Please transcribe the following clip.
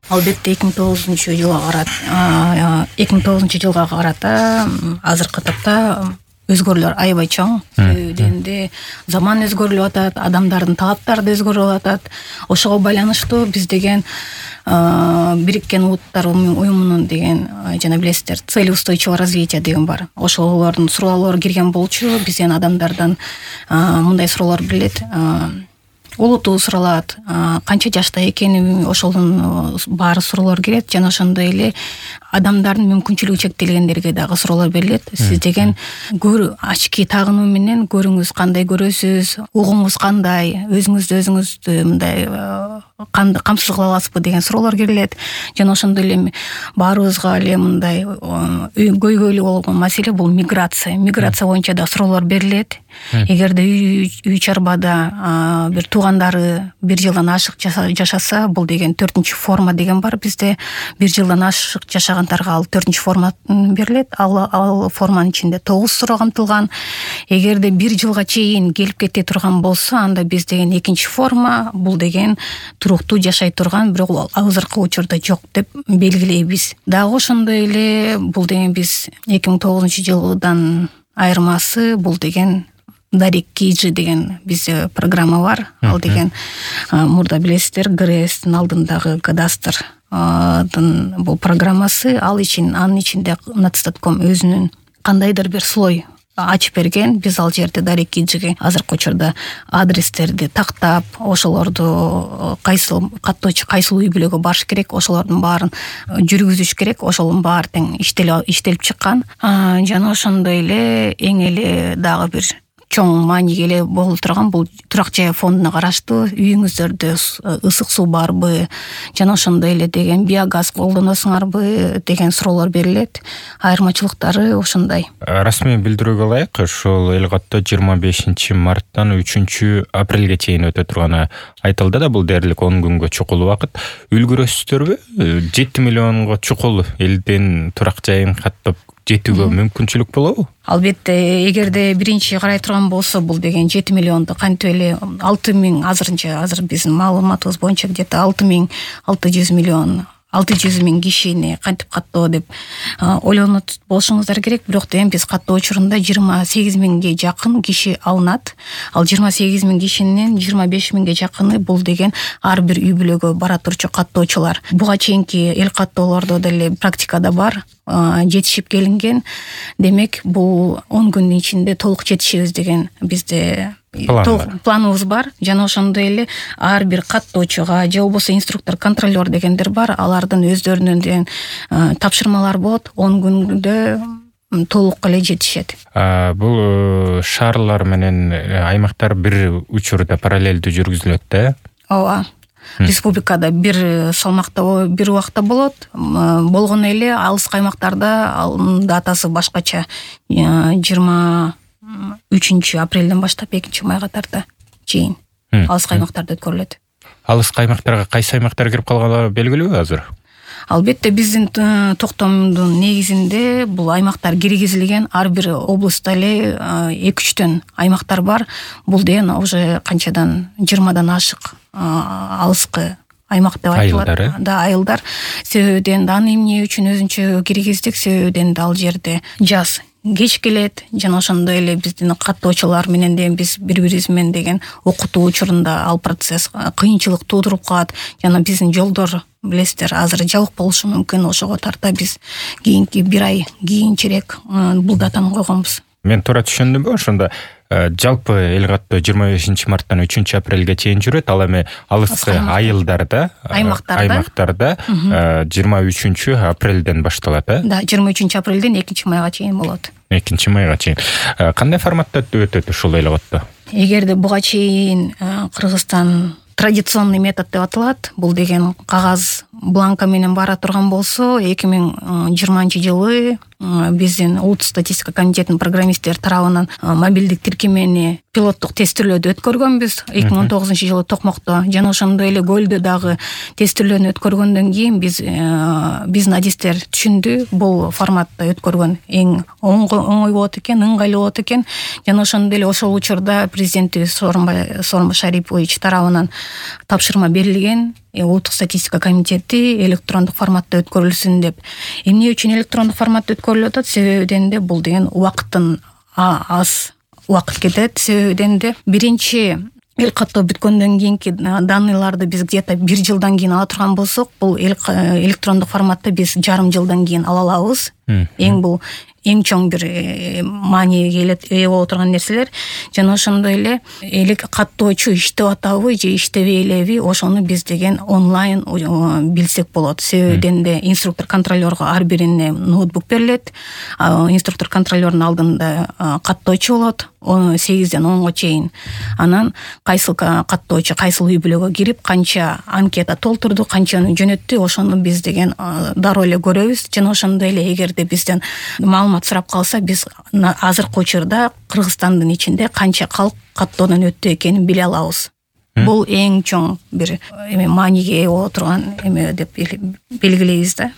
Албетте 2009 жылга карата азыркы тапта өзгөрүүлөр аябай чоң. Себебинде заман өзгөрүлүп атат, адамдардын талаптары да өзгөрүп атат. Ошого байланыштуу биз деген Бириккен Улуттар уюмунун деген жана билесиздер, цели устойчивого развития деген бар. Ошолордун суроолору кирген болчу. Бизден адамдардан мындай суроолор келет. Улуту суралат, канча жашта экени, ошонун баары суроолор келет. Жана ошондой эле адамдардын мүмкүнчүлүгү чектелгендерге дагы суроолор берилет. Сиз деген ачки тагынуу менен көрүңүз кандай көрөсүз, угуңуз кандай, өзүңүздү мындай камсыз кыла аласызбы деген суроолор келет. Жана ошондой эле баарыбызга эле мындай көйгөйлүү болгон маселе бул миграция. Миграция боюнча да суроолор берилет. Эгерде үй чарбада бир туугандары 1 жылдан ашык жашаса, бул деген 4-чү форма деген бар бизде. 1 жылдан ашык жашагандарга ал 4-чү форма берилет. Ал форманын ичинде 9 суроо камтылган. Эгерде 1 жылга чейин келип кете турган болсо, анда биз деген 2-чи форма, бул деген туруктуу жашай турган, бирок азыркы учурда жок деп белгилейбиз. Дагы ошондой эле бул деген биз 2009-жылдан айырмасы, бул деген Дарик Кийджи деген бизде программа бар. Ал деген мурда билесиздер, ГРСтин алдындагы кадастрдын бул программасы. Анын ичинде Нацстатком өзүнүн кандайдыр бир слой ачып берген. Биз ал жерде Дарик Кийджиге азыркы учурда адрестерди тактап, ошолорду кайсыл үй бүлөгө барыш керек, ошолордун баарын жүргүзүш керек. Ошонун баары тең иштелип чыккан. Жана ошондой эле эң эле дагы бир чоң мааниге эле болуп турган бул турак жай фондуна караштуу үйүңүздөрдө ысык суу барбы, жана ошондой эле деген биогаз колдоносуңарбы деген суроолор берилет. Айырмачылыктары ошондой. Расмий билдирүүгө ылайык, ушул Элгатта 25 марттан 3 апрелге чейин өтө турганы айтылды да, бул дээрлик 10 күнгө чукул убакыт. Үлгүрөсүздөрбү? 7 миллионго чукул элдин турак жайын каттап жетүүгө мүмкүнчүлүк болобу? Албетте, эгерде биринчи карай турган болсо, бул деген 7 миллионду кантип эле 6000 азыр биздин маалыматыбыз боюнча где-то 600 миң кишини кантип каттоо деп ойлонот болушуңуздар керек. Бирок деген биз каттоо учурунда 28 миңге жакын киши алынат. Ал 28 миң кишинин 25 миңге жакыны бул деген ар бир үй бүлөгө бара турчу каттоочулар. Буга чейинки эл каттоолордо деле практикада бар, жетишип келинген. Демек, бул 10 күндүн ичинде толук жетишебиз деген бизде планыбыз бар. Жана ошондой эле ар бир каттоочуга же болбосо инструктор, контролер дегендер бар. Алардын өздөрүнүн деген тапшырмалар болот. 10 күндө толук эле жетишет. Бул шаарлар менен аймактар бир учурда параллелдүү жүргүзүлөт да? Ооба. Республикада бир салмакта, бир убакта болот. Болгону эле алыскы аймактарда датасы башкача. 23 апрелден баштап 2 майга тарта чейин алыскы аймактарда өткөрүлөт. Алыскы аймактарга кайсы аймактар кирип калганы белгилүүбү азыр? Албетте, биздин токтомдун негизинде бул аймактар киргизилген. Ар бир областта эле 2-3төн аймактар бар. Бул деген уже канчадан 20дан ашык алыскы аймак деп айтылат. Да, айылдар. Себебиден аны эмне үчүн өзүнчө киргиздик? Себебиден ал жерде жаз кеч келет. Жана ошондой эле биздин каттоочулар менен де биз бири-бирибиз менен деген окутуу учурунда ал процесс кыйынчылык туудуруп калат. Жана биздин жолдор билесиздер азыр жабык болушу мүмкүн. Ошого тарта биз кийинки 1 ай кийинчерээк бул датаны койгонбуз. Мен туура түшүндүмбү? Ошондо жалпы Элгатта 25 марттан 3 апрелге чейин жүрөт. Ал эми алыскы айылдарда, аймактарда 23 апрелден башталат, Да, 23 апрелден 2 майга чейин болот. 2 майга чейин. Кандай форматта өтөт ушул Элгатта? Эгерде буга чейин Кыргызстан традиционный метод деп аталат. Бул деген кагаз бланка менен бара турган болсо, 2020-жылы биздин Улуттук статистика комитетинин программисттери тарабынан мобилдик тиркемени пилоттук тестирлөөдө өткөргөнбүз 2019-жылы Токмокто. Жана ошондой эле Көлдө дагы тестирлөөнү өткөргөндөн кийин биздин адистер түшүндү, бул форматта өткөргөн эң оңой болот экен, ыңгайлуу болот экен. Жана ошондой эле ошол учурда президентибиз Сооронбай Шарипович тарабынан тапшырма берилген. улуттук статистика комитети электрондук форматта өткөрүлсүн деп. Эмне үчүн электрондук форматта өткөрүлүп атат? Себебиден де бул деген убакыттын аз убакыт кетет. Себебиден де биринчи эл каттоо бүткөндөн кийинки данныйларды биз где-то 1 жылдан кийин ала турган болсок, бул электрондук форматта биз жарым жылдан кийин ала алабыз. Эң чоң бир мааниге ээ боло турган нерселер. Жана ошондой эле каттоочу иштеп атабы же иштебей элеби, ошону биз деген онлайн билсек болот. Себебиден де инструктор контролерго ар бирине ноутбук берилет. Инструктор контролердун алдында каттоочу болот 8ден 10го чейин. Анан кайсыл каттоочу кайсыл үй бүлөгө кирип, канча анкета толтурду, канчаны жөнөттү, ошону биз деген дароо эле көрөбүз. Жана ошондой эле эгерде бизден маалымат сурап калса, биз азыркы учурда Кыргызстандын ичинде канча калк каттоодон өттү экенин биле алабыз. Бул эң чоң бир мааниге ээ боло турган эме деп белгилейбиз да.